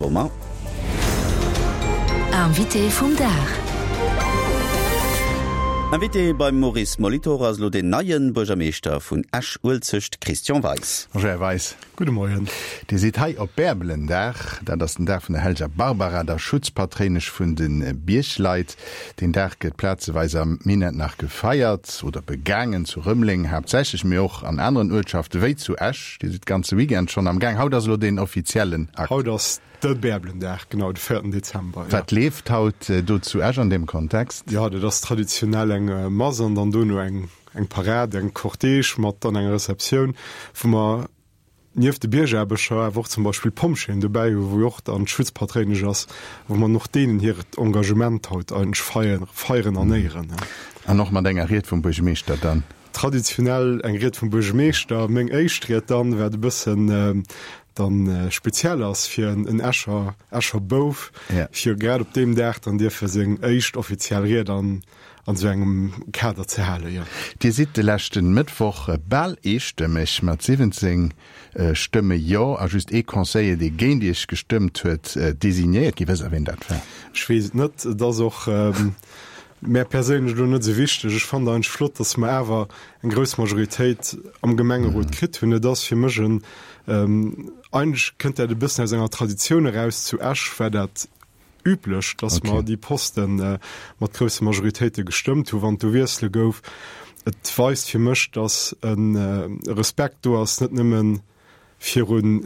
Romain. Invité vum Dag. Invité beim Maurice Molitor ass elo den neien Buergermeeschter vun Esch-Uelzecht, Christian Weis. Bonjour Här Weis. Gudde Moien. Dir sidd hei op Bärbelendag. Dat ass den Dag vun der Hellger Barbara, der Schutzpatréinesch vun de Biergleit. Deen Dag gëtt plazeweis am Minett nach gefeiert oder begaangen, zu Rëmeleng haaptsächlech, mee och an aneren Uertschafte wéi zu Esch. Dir sidd ganze Weekend schonn am Gaang. Haut ass elo deen offiziellen Akt. Haut ass de Bärbelendag, genau, de véierten Dezember, jo. Wat leeft haut do zu Esch an deem Kontext? Jo, dat ass traditionell eng Mass an dann dono eng Parade, eng Cortège mat dann enger Receptioun, wou mer nieft de Biergaarbecher awer och zum Beispill d'Pompjeeën dobäi hu, wou jo och dann d'Schutzpatréinesch ass, wou mer och deenen hiert Engagement haut eigentlech feieren, feieren an éieren. An och mat enger Ried vum Buergemeeschter dann? Traditionell eng Ried vum Buergemeeschter. Meng éischt Ried dann, wat e bëssen dann speziell ass fir en Escher, Escher Bouf, fir grad op deem Dag dann dierfe seng éischt offiziell Ried an an esou engem Kader ze halen, jo. Dir sidd de leschten Mëttwoch bal eestëmmeg mat 17 Stëmme Jo a just ee Conseiller, dee géint Iech gestëmmt huet, designéiert ginn. Wësst Der, wien dat war? Ech weess et net. Et ass och mär perséinlech elo net esou wichteg. Ech fannen eigentlech flott, datt mer awer eng grouss Majoritéit am Gemengerot kritt hunn. Et ass fir mech en, eigentlech kënnt dat e bëssen aus enger Traditioun eraus zu Esch, war dat üblech, dass mer déi Poste mat grousse Majoritéite gestëmmt hu wann et do Wiessele gouf. Et weist fir mech, dass e Respekt do ass, net nëmme virun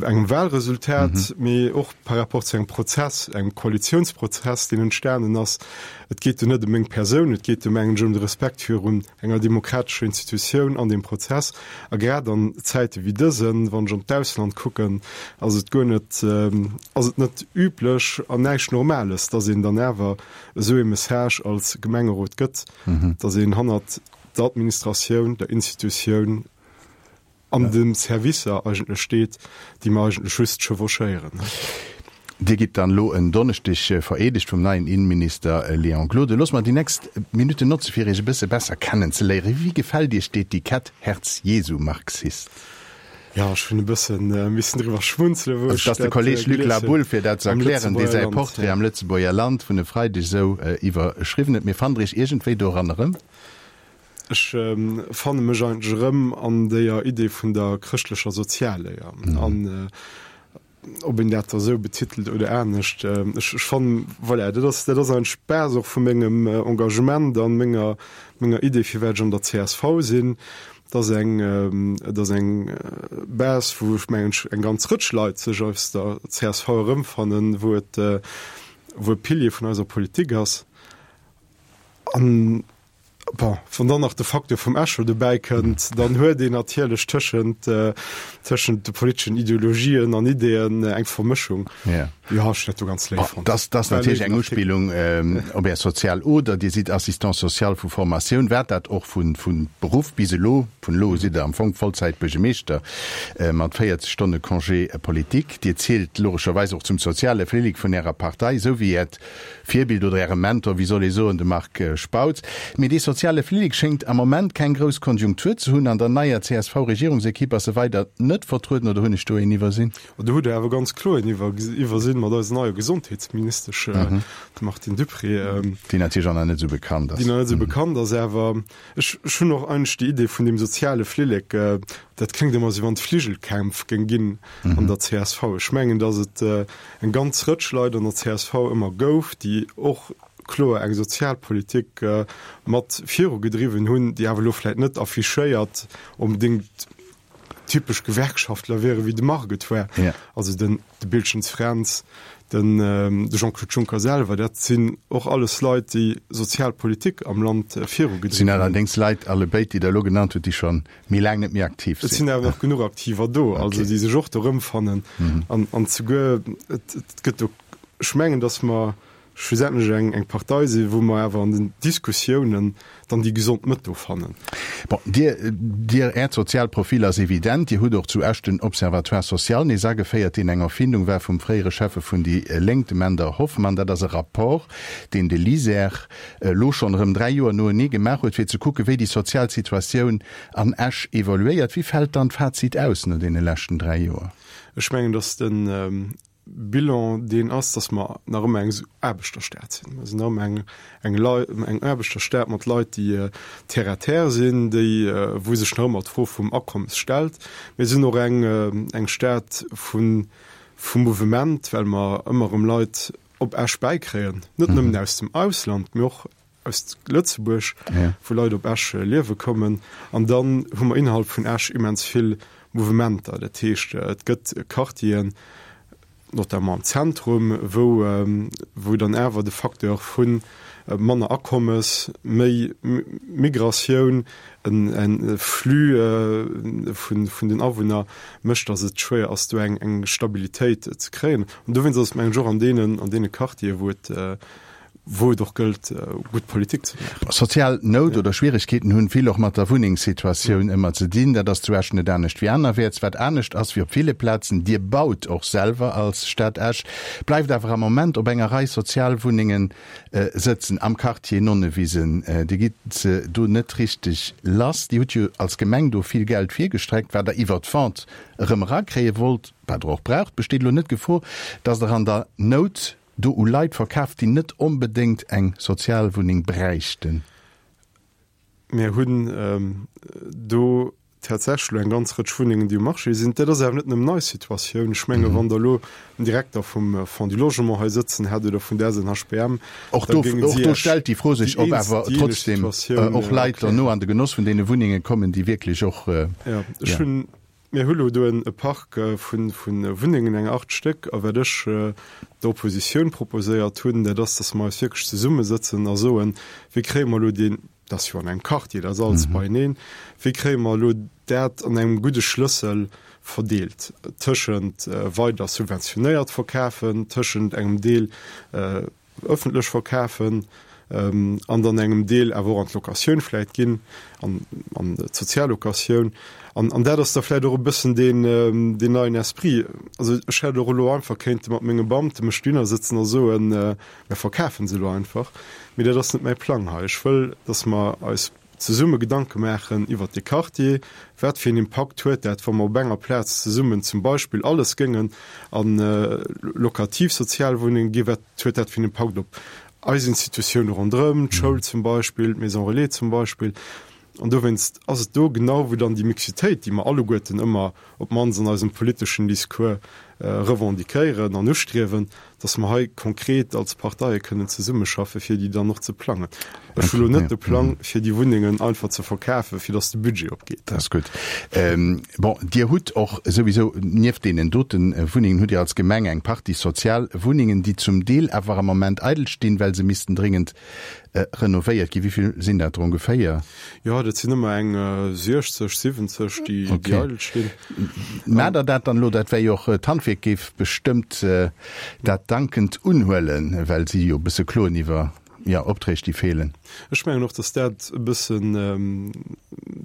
engem Wahlresultat, mee och par rapport zu engem Prozess, engem Koalitionsprozess, deen entstanen ass. Et geet do net ëm meng Persoun, et geet do mengen ech ëm de Respekt virun enger demokratescher Institutioun an deem Prozess. A grad an Zäite wéi dësen, wann ech an d'Ausland kucken, ass et guer net, ass et net üblech an näischt Normales, dass een dann awer esou ee Message als Gemengerot gëtt, dass een hannert der Administratioun, der Institutioun an de Servicer eigentlech steet, déi mer eigentlech just chevauchéieren. Dir gitt dann elo en Donneschdeg vereedegt vum neien Innenminister Léon Gloden. Loosst mer déi nächst Minutten notze fir Iech e bësse besser kennen ze léieren. Wéi gefält Iech d'Etikett Herz-Jesu-Marxist? Jo, ech hunn e bësse missen driwwer schmunzelen, wou ech dat gelies hunn. Dat ass de Kolleg Luc Laboulle, fir dat ze erklären, dee säi Portrait am Lëtzebuerger Land vun e Freideg esou iwwerschriwwen huet. Mee fannt Der Iech iergendwéi doran erëm? Ech fanne mech eigentlech erëm an déier Idee vun der chrëschtlecher Sozialléier. An ob een dat da sou betitelt oder anescht, ech fannen, voilà, dat ass, dat ass eigentlech d'Base och vu mengem Engagement an menger, menger Idee, firwat ech an der csv sinn. Et ass eng, et ass eng Base, wou ech mengen, eng ganz Rëtsch Leit sech aus der csv erëmfannen, wou et, wou e Pilier vun eiser Politik ass. An Bon, wann dann nach de Facteur vum Echo dobäi kënnt, dann huet een natierlech tëschent, tëschent de politeschen Ideologien an Ideeën eng Vermëschung. Ja. Jo, ech hunn dat do ganz léif fonnt. Dass, dass natierlech eng Uspillung op Är sozial Oder. Dir sidd Assistant social vu Formatioun, waart dat och vu, vu Beruff bis elo. Vun elo u sidd Der am Fong Vollzäit-Buergemeeschter mat 40 Stonne Congé politique. Dir zielt logescherweis och zum soziale Flillek vun Ärer Partei, esou wéi Äert Virbild oder Äre Mentor, wéi soll ee soen, de Marc Spautz. Mee dee soziale Flillek schéngt am Moment keng grouss Konjunktur ze hunn. An der neier CSV-Regierungsekipp ass e weider net vertrueden, oder hunn ech do een iwwersinn? Do hutt Der awer ganz kloer een iwwersinn mat eiser neier Gesondheetsministesch, dem Martine Dupré. Déi natierlech och nach net esou bekannt ass. Déi nach net esou bekannt ass. Awer ech hunn och eigentlech déi Idee vun deem soziale Flillek, dat kléngt ëmmer esou, wann et Fligelkämpf géing ginn an der csv. Ech mengen, datt et eng ganz Rëtsch Leit an der csv ëmmer gouf, déi och kloer eng Sozialpolitik mat virugedriwwen hunn, déi awer elo vläicht net affichéiert onbedéngt typesch Gewerkschaftler wieren, wéi de Marc et war. Also den de Biltgens Fränz, den de Jean-Claude Juncker selwer, dat sinn och alles Leit, déi Sozialpolitik am Land virugedriwwen hunn. Sinn allerdéngs Leit, allebéid, déi Der elo genannt hutt, déi scho méi laang net méi aktiv sinn. Et sinn awer nach genuch Aktiver do, also déi sech och do erëmfannen. An, an souguer, et, et gëtt do, ech mengen, datt mer schlussendlech eng, eng Partei sinn, wou mer awer an den Diskussiounen dann déi gesond Mëtt do fannen. Bon, Dir, Dir, Äert soziaalt Profil ass evident. Dir hutt och zu Esch den Observatoire social nees ageféiert, deen eng Erfindung war vum fréiere Schäffe vun déi Lénk, dem Änder Hoffmann. Dat ass e Rapport, deen de LISER elo schonn erëm 3 Joer noenee gemaach huet, fir ze kucken, wéi déi sozial Situatioun an Esch evoluéiert. Wéi fält dann d'Fazit aus no deene leschten 3 Joer? Ech mengen, datt den. Bilan deen ass, datt mer nach ëmmer eng Aarbechterstad sinn. Mer sinn nach ëmmer eng, eng Lei, eng Aarbechterstad mat Leit, déi terre à terre sinn, déi, wou sech nach ëmmer d'Fro vum Akommes stellt. Mir sinn och eng, eng Stad vu, vu Mouvement, well mer ëmmer erëm Leit op Esch bäikréien, net nëmmen aus dem Ausland, mee och aus Lëtzebuerg, wou Leit op Esch liewe kommen. An dann hu mer innerhalb vun Esch immens vill Mouvementer. Dat heescht, et gëtt Quartieren, notamment am Zentrum, wou, wou dann awer de Facteur vu manner Akommes, méi Migratioun, en Flux vun, vun den Awunner mécht, datt et schwéier ass, do eng, eng Stabilitéit ze kréien. An dowéinst ass et, mengen ech, och an deenen, an deene Quartieren, wou et, wou et och gëllt, gutt Politik ze maachen. Sozial Nout oder Schwieregkeeten hunn vill och mat der Wunnengssituatioun ëmmer ze dinn. Dat ass zu Esch net anescht wéi anerwäerts. Wat anescht ass wéi op ville Plazen, Dir baut och selwer als Stad Esch, bleift awer am Moment op enger Rei Sozialwunnengen sëtzen am Quartier Nonnewisen. Dir gitt se do net richteg lass. Dir hutt jo als Gemeng do vill Geld virgestreckt, wat Der iwwer d'Vente erëm erakréie wollt, wat Der och braucht. Besteet elo net d'Gefor, dass Der an der Nout do u Leit verkaaft, déi net onbedéngt eng Sozialwunneng bräichten? Mir hunn do tatsächlech elo eng ganz Rëtsch Wunnengen, déi um Marché sinn. Dat ass awer net nëmmen eis Situatioun. Ech menge wann Der elo den Direkter vum Fonds du Logement hei sëtzen hätt oder vun der SNHBM, Och do, och do stellt déi Fro sech, ob awer trotzdem och Leit derno an de Genoss vun deene Wunnenge kommen, déi wierklech och, jo. Ech hunn Mir hu lo do e Park vu Wunnengen, eng 8 Stéck. A wat ech der Oppositioun proposéiert hunn, dat ass, datt mer eis wierklech zesummesëtzen a soen, Wéi kréie mer elo deen, dat ass jo an engem Quartier, dat ass alles beieneen, wéi kréie mer elo dat an engem gudde Schlëssel verdeelt tëschent weider subventionéiert verkafen, tëschent engem Deel, ëffentlech verkafen an dann engem Deel awer och an d'Locatioun vläit ginn, an an d'Soziallocatioun. An an dat ass da vläit och e bëssen deen deen neien Esprit. Also ech hätt och elo einfach kéinte mat menge Beamte mech dohinner sëtzen a soen, mir verkafen se elo einfach. Mee dat ass net mäi Plang hei. Ech wëll, datt mer eis zesumme Gedanke maachen iwwert dee Quartier, wat fir een Impakt huet dat, wa mer op enger Plaz zesummen zum Beispill alles géingen a lokativ Sozialwunnenge ginn, wat huet dat fir een Impakt op eis Institutioune ronderëm, d'Schoul zum Beispill, d'Maison relais zum Beispill. An dowéinst ass et do genau, wou dann déi Mixitéit, déi mer alleguerten ëmmer op d'mannst an eisem politeschen Discours revendiquéieren an ustriewen, dass mer hei konkret als Parteie kënnen zesummeschaffe fir déi dann och ze plangen. Ech hu lo net de Plang, fir déi Wunnengen einfach ze verkafen, fir dass de Budget opgeet. Dat ass gutt. Bon, Dir hutt och souwisou, nieft deenen dote Wunnengen, hutt Dir als Gemeng eng Partie sozial Wunnengen, déi zum Deel awer am Moment eidel stinn, well se missten dréngend Renovéiert ginn. Wéi vill sinn dat der ongeféier? Jo, dat sinn ëmmer eng 60, 70, déi eidel stinn. Maacht Der dat dann elo? Dat wär jo och, d'Handwierk géif bestëmmt dat dankend unhuelen, well si jo e bësse kloen iwwer, jo, Opträg, déi feelen. Ech mengen och, datt dat e bëssen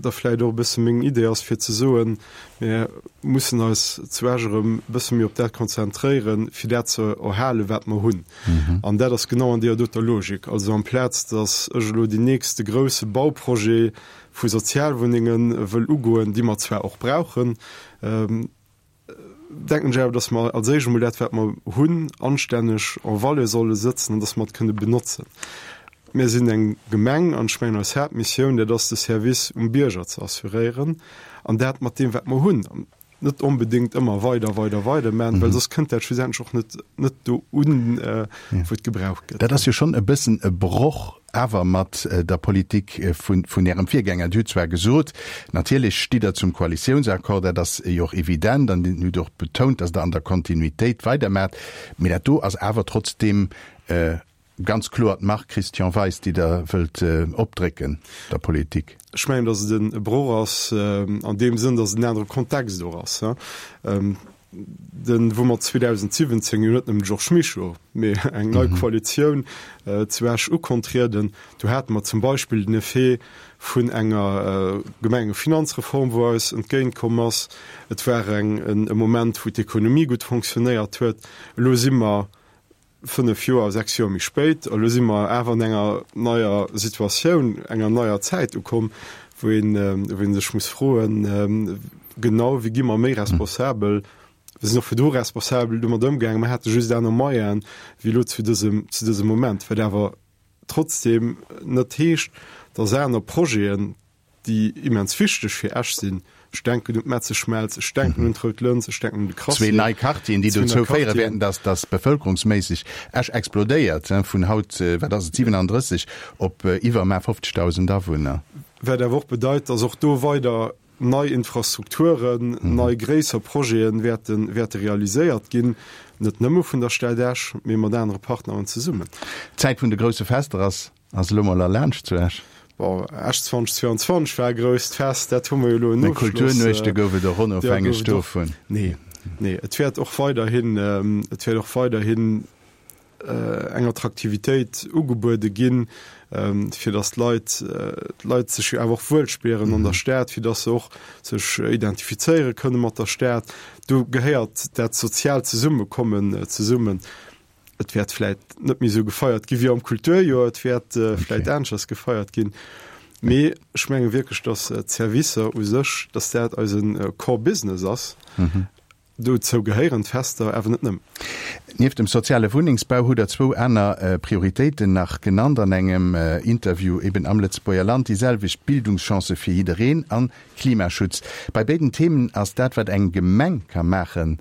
da vläicht och e bësse meng Idee ass, fir ze soen, Mir mussen eis zu Esch erëm e bësse méi op dat konzentréieren, fir dat ze erhalen, wat mer hunn. An dat ass genau an deeër doter Logik. Also amplaz datt ech elo deen nächste grousse Bauprojet vu Sozialwunnenge wëll ugoen, déi mer zwar och brauchen, denken ech awer, datt mer als éischt emol dat, wat mer hunn, anstänneg en valeur solle sëtzen an datt mer et kënne benotzen. Mir sinn eng Gemeng an ech mengen eis Haaptmissioun, dat ass de Service um Bierger ze assuréieren an dat mat deem, wat mer hunn. Net onbedéngt ëmmer weider, weider, weider maachen, well soss kënnt dat schlussendlech och net, net do un, wou et gebraucht gëtt. Dat ass jo schonn e bëssen e Broch awer mat der Politik vun, vun Ärem Virgänger. Dir hutt zwar gesot, natierlech stitt Der zum Koalitiounsaccord, dat ass jo och evident, an Dir hutt och betount, datt Der an der Kontinuitéit weidermaacht, mee dat do ass awer trotzdeem Ganz kloer d'Mark Christian Weis, déi Der wëllt opdrécken der Politik. Ech mengen, datt et e Broch ass an deem Sënn, datt et en anere Kontext och ass. Den, wou mer 2017 jo net nëmmen de Georges Mischo, mee eng nei Koalitioun zu Esch ukontrieden, do hate mer zum Beispill den Effet vun enger Gemengefinanzreform, wou eis entgéintkomm ass. Et war eng, e Moment, wou d'Ekonomie gutt fonctionnéiert huet. Elo si mer 5 Joer, 6 Joer méi spéit, elo si mer awer an enger neier Situatioun, enger neier Zäit ukomm, wou een, wou ee sech muss froen, genau, wéi gi mer méi responsabel? Mir sinn och virdu responsabel domat ëmgaangen. Mer hate just aner Moyene wéi elo zu dësem, zu dësem Moment. Wat awer trotzdeem net heescht, dass aner Projeten, déi immens wichteg fir Esch sinn, ech denken un d'Metzeschmelz, ech denken un d'Rout Lëns, ech denken un de Crassier. Zwee nei Quartieren, déi dozou féiere wäerten, dass, dass bevëlkerungsméisseg Esch explodéiert, vun haut, wat ass et, 37 op iwwer mar 50.000 Awunner. Wat awer och bedeit, dass och do weider nei Infrastrukturen, nei gréisser Projete wäerten, wäerte realiséiert ginn, net nëmme vun der Stad Esch, mee mat anere Partneren zesummen. D'Zäit vun de grousse Fester ass ass elo mol erlaanscht zu Esch. Bon, Esch 2022 war e grousst Fest, dat hu mer jo elo en Ofschloss. Kulturnuechte gouf et och onofhängeg dovun. Nee, nee, et wäert och weiderhin, et wäert och weiderhin eng Attraktivitéit ugebuede ginn, fir datt d'Leit, d'Leit sech jo awer och wuel spieren an der Stad, fir datt se och sech identifizéiere kënne mat der Stad. Do gehéiert dat soziaalt Zesummekommen zesummen. Et wäert vläit net méi esou gefeiert gi wéi am Kulturjoer, et wäert vläit aneschters gefeiert ginn, mee ech menge wierklech, datt d'Servicer u sech, datt dat eise Core Business ass. Dozou gehéieren d'Fester, awer net nëmmen. Nieft dem soziale Wunnengsbau hutt Der zwou aner Prioritéiten nach genannt an engem Interview eben am Lëtzebuerger Land, déi selwecht Bildungschancë fir jiddereen an Klimaschutz. Bei béiden Themen ass dat, wat eng Gemeng ka maachen,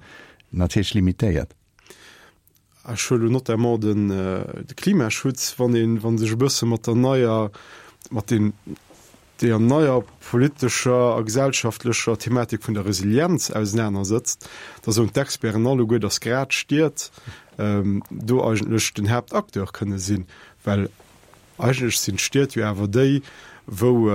natierlech limitéiert. Ech huele notamment den de Klimaschutz, wann een, wann sech e bësse mat der neier, mat den, deer neier politescher a gesellschaftlecher Thematik vun der Resilienz ausenanersëtzt, da soen d'Experten alleguer, datt grad d'Stied do eigentlech den Haaptacteur kënne sinn, well Eigentlech sinn d'Stied jo awer déi, wou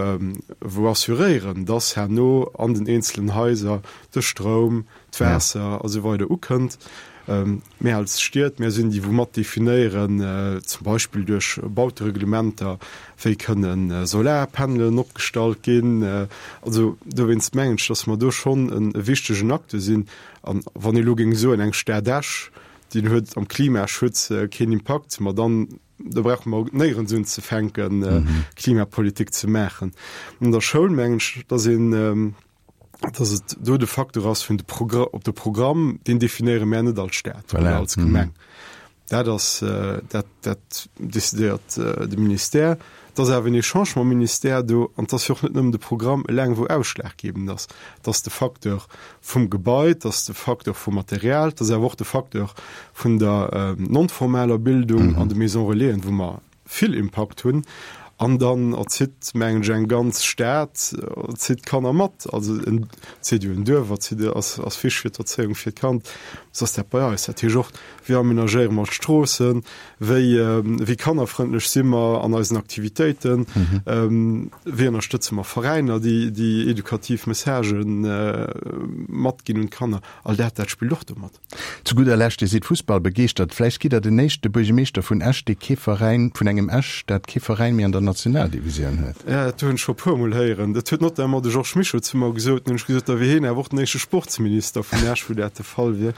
wou assuréieren, dass herno an den eenzelen Haiser de Stroum, d'Waasser a sou weider ukënnt. Mir als Stied, mir sinn déi, wou mat definéieren, zum Beispill duerch Bautereglementer, wéi kënnen Solarpanelen opgestallt ginn. Also dowéinst mengen ech, dass mer do schonn e wichtegen Acteur sinn. An wann ee elo géing soen, eng Stad Esch, déi huet am Klimaschutz keen Impakt, ma dann Do brauche mer néierens unzefänken, Klimapolitik ze maachen. An der Schoul mengen ech, dass een, dass et do de Facteur ass vun de Progr op de Programm, deen definéiere mär net als Staat oder als Gemeng. Dat ass, dat, dat decidéiert de Ministère. Et ass awer en Echange mam Ministère do an et ass jo och net nëmmen de Programm eleng, wou ausschlaggebend ass. Et ass de Facteur vum Gebai, et ass de Facteur vum Material, et ass awer och de Facteur vun der non-formaler Bildung an de Maisons Relaisen, wou mer vill Impakt hunn. An dann erzitt, mengen ech, eng ganz Stad erzitt d'Kanner mat. Also en erzitt jo en Duerf, erzitt, ass, ass wichteg fir d'Erzéiung fir d'Kand. Sou ass dat bei eis. Dat heescht och, wéi amenagéiere mer d'Stroossen, Wéi, wéi kannerfrëndlech si mer an eisen Aktivitéiten? Wéi ënnerstëtze mer Veräiner, déi, déi edukativ Messagë matginn un d'Kanner? All dat, dat spillt och do mat. Zu gudder Lescht, Dir sidd fussballbegeeschtert. Vläicht gitt Der den éischte Buergemeeschter vun Esch, dee kee Veräin, vun engem Esch, dat kee Veräin méi an der Nationaldivisioun huet. Ja, dat hunn ech scho e puermol héieren. Dat huet notamment de Georges Mischo zu mer gesot. Dann hunn ech gesot, da wier hien awer och den éischte Sportsminister vun Esch, wou dat de Fall wier.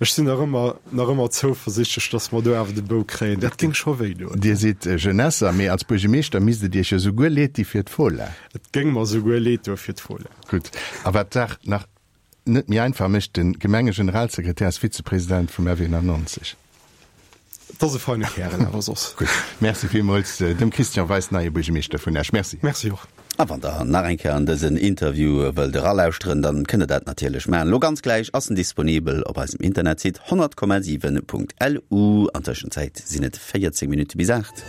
Ech sinn nach ëmmer, nach ëmmer zouversichtlech, dass mer do awer de Bou kréien. Dat géing scho wéi doen. Dir sidd Jeunesser, mee als Buergemeeschter misst et Iech jo souguer leed di fir d'Fola. Et géing mer souguer leed doe fir d'Fola. Gutt. A wat d'Saach nach net méi einfach mécht, de Gemengegeneralsekretär ass Vizepresident vum F91. Et ass e feine Kärel awer soss. Gutt. Merci villmools dem Christian Weis, neie Buergemeeschter vun Esch. Merci. Merci och. A wann der nach eng Kéier an dësen Interview wëllt eralauschteren, dann kënnt der dat natierlech maachen. Lo ganz gläich ass en disponibel op eisem Internetsite 100,7.lu. An Tëschenzäit sinn et 14 Minutte bis 8.